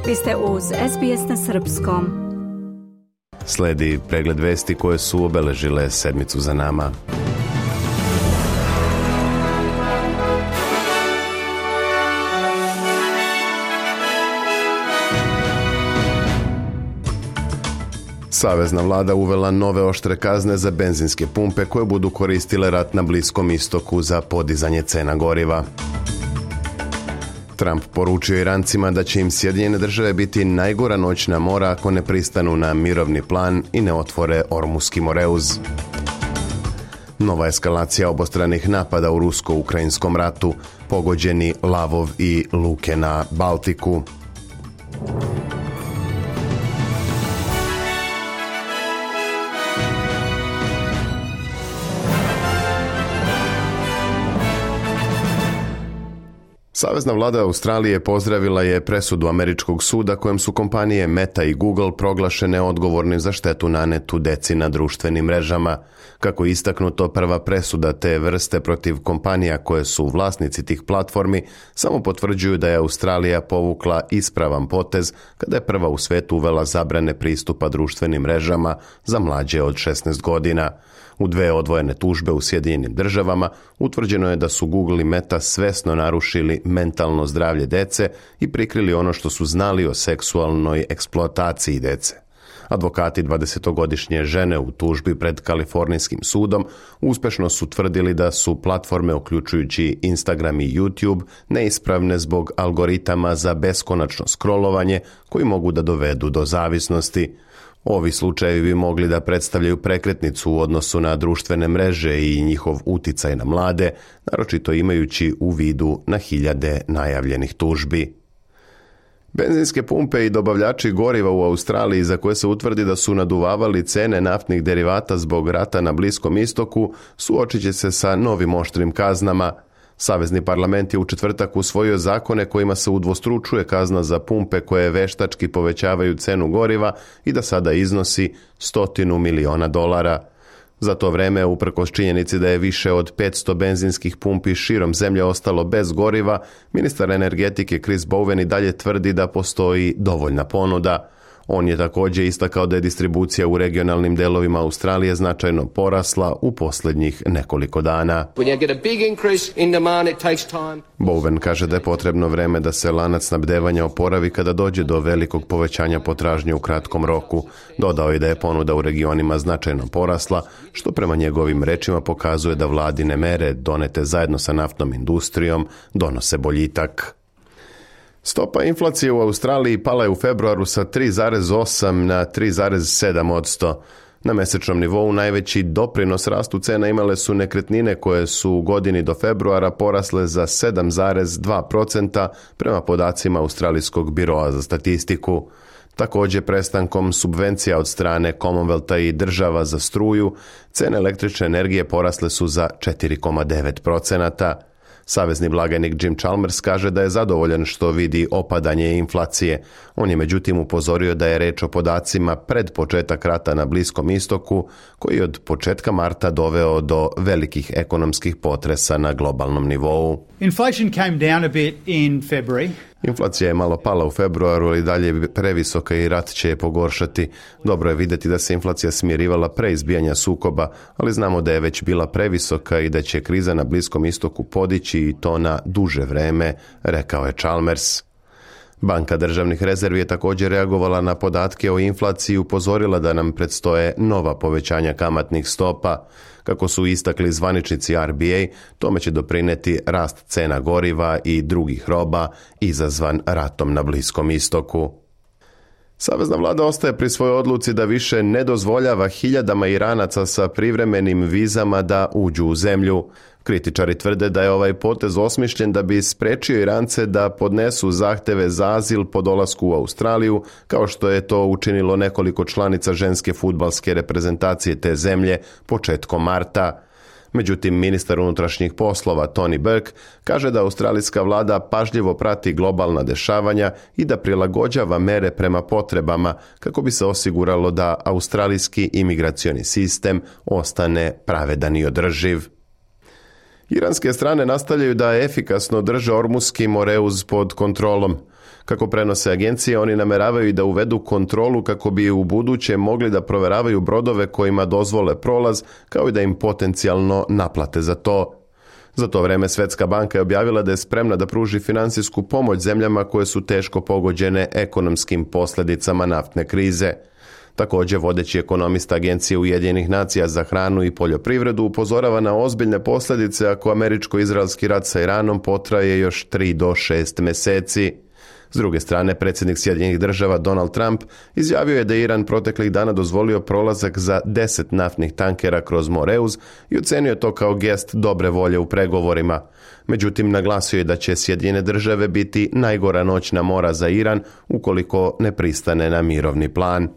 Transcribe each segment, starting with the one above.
Vi ste uz SBS na srpskom. Sledi pregled vesti koje su obeležile sedmicu za nama. Savezna vlada uvela nove oštre kazne za benzinske pumpe koje budu koristile rat na Bliskom istoku za podizanje cena goriva. Trump poručio Irancima da će im Sjedinjene države biti najgora noćna mora ako ne pristanu na mirovni plan i ne otvore Ormuski moreuz. Nova eskalacija obostranih napada u rusko-ukrajinskom ratu, pogođeni Lavov i luke na Baltiku. Savezna vlada Australije pozdravila je presudu američkog suda kojem su kompanije Meta i Google proglašene odgovornim za štetu nanetu deci na društvenim mrežama. Kako je istaknuto, prva presuda te vrste protiv kompanija koje su vlasnici tih platformi samo potvrđuju da je Australija povukla ispravan potez kada je prva u svetu uvela zabrane pristupa društvenim mrežama za mlađe od 16 godina. U dve odvojene tužbe u Sjedinjenim državama utvrđeno je da su Google i Meta svesno narušili mentalno zdravlje dece i prikrili ono što su znali o seksualnoj eksploataciji dece. Advokati 20-godišnje žene u tužbi pred Kalifornijskim sudom uspešno su tvrdili da su platforme, uključujući Instagram i YouTube, neispravne zbog algoritama za beskonačno scrollovanje koji mogu da dovedu do zavisnosti. Ovi slučajevi bi mogli da predstavljaju prekretnicu u odnosu na društvene mreže i njihov uticaj na mlade, naročito imajući u vidu na hiljade najavljenih tužbi. Benzinske pumpe i dobavljači goriva u Australiji, za koje se utvrdi da su naduvavali cene naftnih derivata zbog rata na Bliskom istoku, suočit će se sa novim oštrim kaznama. Savezni parlament je u četvrtak usvojio zakone kojima se udvostručuje kazna za pumpe koje veštački povećavaju cenu goriva i da sada iznosi $100 miliona. Za to vreme, uprkos činjenici da je više od 500 benzinskih pumpi širom zemlje ostalo bez goriva, ministar energetike Chris Bowen i dalje tvrdi da postoji dovoljna ponuda. On je također istakao da je distribucija u regionalnim delovima Australije značajno porasla u posljednjih nekoliko dana. Bowen kaže da je potrebno vreme da se lanac snabdevanja oporavi kada dođe do velikog povećanja potražnje u kratkom roku. Dodao je da je ponuda u regionima značajno porasla, što prema njegovim rečima pokazuje da vladine mere donete zajedno sa naftnom industrijom donose boljitak. Stopa inflacije u Australiji pala je u februaru sa 3,8 na 3,7%. Na mesečnom nivou najveći doprinos rastu cena imale su nekretnine koje su u godini do februara porasle za 7,2% prema podacima Australijskog biroa za statistiku. Također, prestankom subvencija od strane Commonwealtha i država za struju, cene električne energije porasle su za 4,9%. Savezni blagajnik Jim Chalmers kaže da je zadovoljan što vidi opadanje inflacije. On je međutim upozorio da je reč o podacima pred početak rata na Bliskom istoku, koji je od početka marta doveo do velikih ekonomskih potresa na globalnom nivou. Inflation came down a bit in February. Inflacija je malo pala u februaru, ali dalje je previsoka i rat će je pogoršati. Dobro je vidjeti da se inflacija smirivala pre izbijanja sukoba, ali znamo da je već bila previsoka i da će kriza na Bliskom istoku podići i to na duže vreme, rekao je Chalmers. Banka državnih rezervi je također reagovala na podatke o inflaciji i upozorila da nam predstoje nova povećanja kamatnih stopa. Kako su istakli zvaničnici RBA, tome će doprineti rast cena goriva i drugih roba izazvan ratom na Bliskom istoku. Savezna vlada ostaje pri svojoj odluci da više ne dozvoljava hiljadama Iranaca sa privremenim vizama da uđu u zemlju. Kritičari tvrde da je ovaj potez osmišljen da bi sprečio Irance da podnesu zahteve za azil po dolasku u Australiju, kao što je to učinilo nekoliko članica ženske fudbalske reprezentacije te zemlje početkom marta. Međutim, ministar unutrašnjih poslova Tony Burke kaže da australijska vlada pažljivo prati globalna dešavanja i da prilagođava mere prema potrebama kako bi se osiguralo da australijski imigracioni sistem ostane pravedan i održiv. Iranske strane nastavljaju da efikasno drže Ormuski moreuz pod kontrolom. Kako prenose agencije, oni nameravaju da uvedu kontrolu kako bi u buduće mogli da proveravaju brodove kojima dozvole prolaz, kao i da im potencijalno naplate za to. Za to vreme Svetska banka je objavila da je spremna da pruži finansijsku pomoć zemljama koje su teško pogođene ekonomskim posljedicama naftne krize. Također, vodeći ekonomista Agencije Ujedinjenih nacija za hranu i poljoprivredu upozorava na ozbiljne posljedice ako američko-izraelski rat sa Iranom potraje još 3 do 6 mjeseci. S druge strane, predsjednik Sjedinjenih država Donald Trump izjavio je da je Iran proteklih dana dozvolio prolazak za 10 naftnih tankera kroz Moreuz i ocenio to kao gest dobre volje u pregovorima. Međutim, naglasio je da će Sjedinjene države biti najgora noćna mora za Iran ukoliko ne pristane na mirovni plan.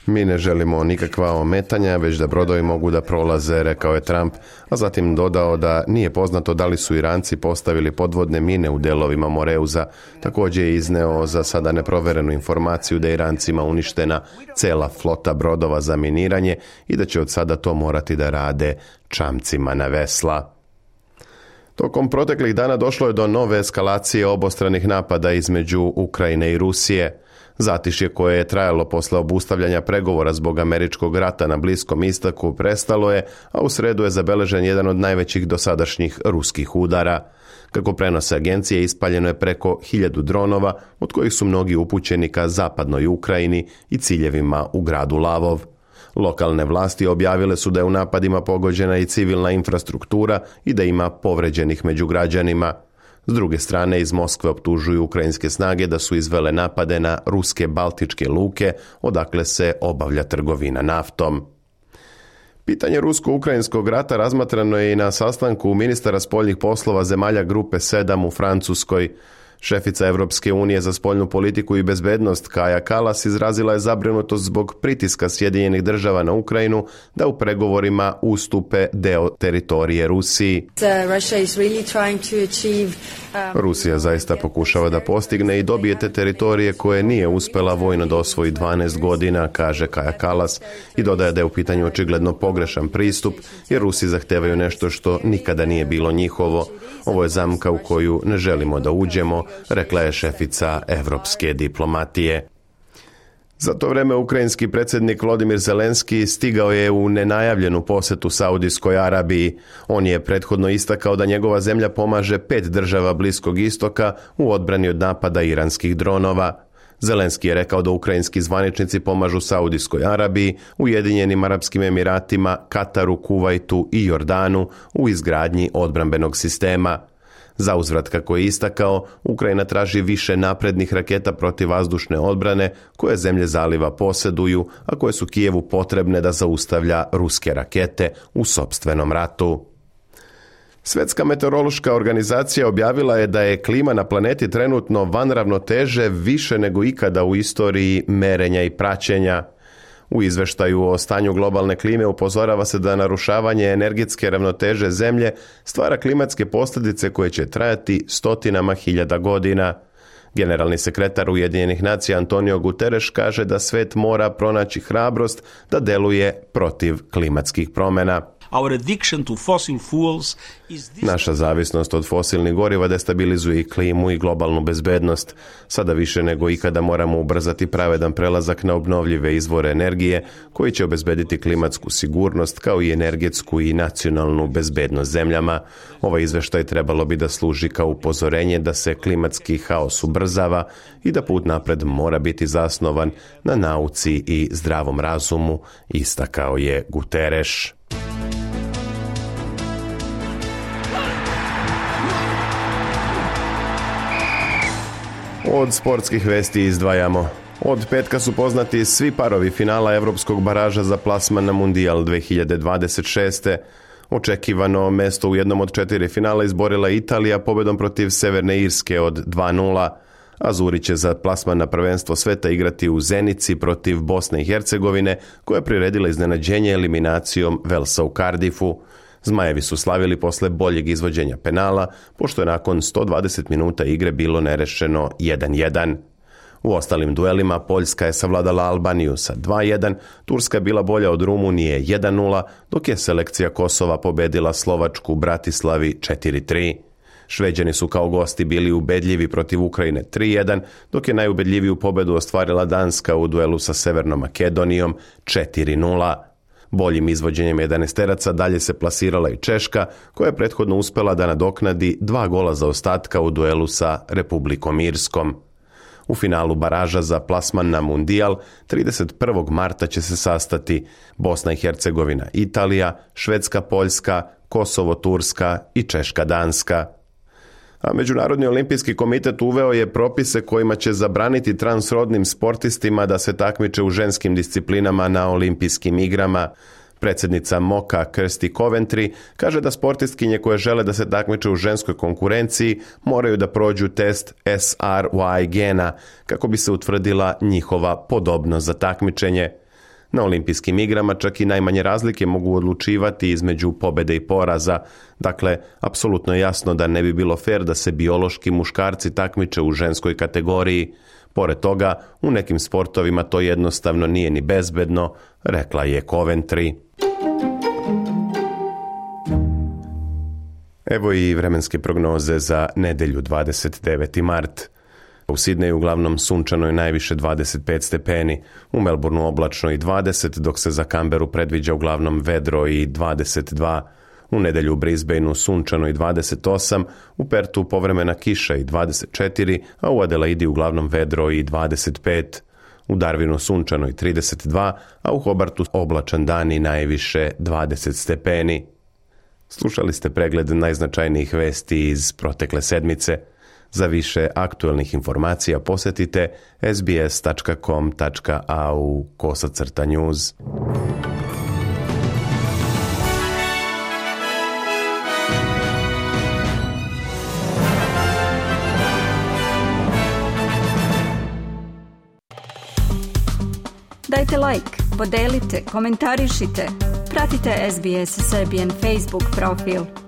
Mi ne želimo nikakva ometanja, već da brodovi mogu da prolaze, rekao je Trump, a zatim dodao da nije poznato da li su Iranci postavili podvodne mine u delovima Moreuza. Također je izneo za sada neproverenu informaciju da je Irancima uništena cela flota brodova za miniranje i da će od sada to morati da rade čamcima na vesla. Tokom proteklih dana došlo je do nove eskalacije obostranih napada između Ukrajine i Rusije. Zatišje koje je trajalo posle obustavljanja pregovora zbog američkog rata na Bliskom istoku prestalo je, a u sredu je zabeležen jedan od najvećih dosadašnjih ruskih udara. Kako prenose agencije, ispaljeno je preko 1000 dronova, od kojih su mnogi upućeni ka zapadnoj Ukrajini i ciljevima u gradu Lavov. Lokalne vlasti objavile su da je u napadima pogođena i civilna infrastruktura i da ima povređenih među građanima. S druge strane, iz Moskve optužuju ukrajinske snage da su izvele napade na ruske baltičke luke, odakle se obavlja trgovina naftom. Pitanje rusko-ukrajinskog rata razmatrano je i na sastanku ministara spoljnih poslova zemalja Grupe 7 u Francuskoj. Šefica Evropske unije za spoljnu politiku i bezbednost Kaja Kallas izrazila je zabrinutost zbog pritiska Sjedinjenih država na Ukrajinu da u pregovorima ustupe deo teritorije Rusiji. Rusija zaista pokušava da postigne i dobije te teritorije koje nije uspela vojno da osvoji 12 godina, kaže Kaja Kallas, i dodaje da je u pitanju očigledno pogrešan pristup, jer Rusi zahtevaju nešto što nikada nije bilo njihovo. Ovo je zamka u koju ne želimo da uđemo, rekla je šefica evropske diplomatije. Za to vreme ukrajinski predsjednik Volodymyr Zelenski stigao je u nenajavljenu posetu Saudijskoj Arabiji. On je prethodno istakao da njegova zemlja pomaže 5 država Bliskog istoka u odbrani od napada iranskih dronova. Zelenski je rekao da ukrajinski zvaničnici pomažu Saudijskoj Arabiji, Ujedinjenim Arapskim Emiratima, Kataru, Kuvajtu i Jordanu u izgradnji odbrambenog sistema. Zauzvrat, kako je istakao, Ukrajina traži više naprednih raketa protivvazdušne odbrane koje zemlje zaliva posjeduju, a koje su Kijevu potrebne da zaustavlja ruske rakete u sopstvenom ratu. Svjetska meteorološka organizacija objavila je da je klima na planeti trenutno van ravnoteže više nego ikada u istoriji merenja i praćenja. U izveštaju o stanju globalne klime upozorava se da narušavanje energetske ravnoteže zemlje stvara klimatske posljedice koje će trajati stotinama hiljada godina. Generalni sekretar Ujedinjenih nacija Antonio Guterres kaže da svet mora pronaći hrabrost da deluje protiv klimatskih promjena. Naša zavisnost od fosilnih goriva destabilizuje i klimu i globalnu bezbednost. Sada više nego ikada moramo ubrzati pravedan prelazak na obnovljive izvore energije koji će obezbediti klimatsku sigurnost kao i energetsku i nacionalnu bezbednost zemljama. Ovaj izveštaj trebalo bi da služi kao upozorenje da se klimatski haos ubrzava i da put napred mora biti zasnovan na nauci i zdravom razumu, istakao je Guterres. Od sportskih vesti izdvajamo. Od petka su poznati svi parovi finala evropskog baraža za plasman na Mundijal 2026. Očekivano mesto u jednom od 4 finala izborila Italija pobedom protiv Severne Irske od 2:0. Azuri će za plasman na prvenstvo sveta igrati u Zenici protiv Bosne i Hercegovine, koja je priredila iznenađenje eliminacijom Velsa u Cardiffu. Zmajevi su slavili posle boljeg izvođenja penala, pošto je nakon 120 minuta igre bilo nerešeno 1:1. U ostalim duelima Poljska je savladala Albaniju sa 2:1, Turska je bila bolja od Rumunije 1:0, dok je selekcija Kosova pobedila Slovačku u Bratislavi 4:3. Šveđani su kao gosti bili ubedljivi protiv Ukrajine 3:1, dok je najubedljiviju pobedu ostvarila Danska u duelu sa Severnom Makedonijom 4:0. Boljim izvođenjem 11-teraca dalje se plasirala i Češka, koja je prethodno uspela da nadoknadi 2 gola zaostatka u duelu sa Republikom Irskom. U finalu baraža za plasman na Mundijal 31. marta će se sastati Bosna i Hercegovina, Italija, Švedska, Poljska, Kosovo, Turska i Češka, Danska. A Međunarodni olimpijski komitet uveo je propise kojima će zabraniti transrodnim sportistima da se takmiče u ženskim disciplinama na olimpijskim igrama. Predsjednica MOKA Kirsty Coventry kaže da sportistkinje koje žele da se takmiče u ženskoj konkurenciji moraju da prođu test SRY gena kako bi se utvrdila njihova podobnost za takmičenje. Na olimpijskim igrama čak i najmanje razlike mogu odlučivati između pobede i poraza. Dakle, apsolutno je jasno da ne bi bilo fer da se biološki muškarci takmiče u ženskoj kategoriji. Pored toga, u nekim sportovima to jednostavno nije ni bezbedno, rekla je Coventry. Evo i vremenske prognoze za nedelju 29. mart. U Sidneju uglavnom sunčano i najviše 25 stepeni, u Melbourneu oblačno i 20, dok se za Canberu predviđa uglavnom vedro i 22. U nedelju u Brisbaneu sunčano i 28, u Pertu povremena kiša i 24, a u Adelaidi uglavnom vedro i 25. U Darwinu sunčano i 32, a u Hobartu oblačan dan i najviše 20 stepeni. Slušali ste pregled najznačajnijih vesti iz protekle sedmice. Za više aktuelnih informacija posjetite sbs.com.au/news. Dajte like, podelite, komentarišite. Pratite SBS Serbian Facebook profil.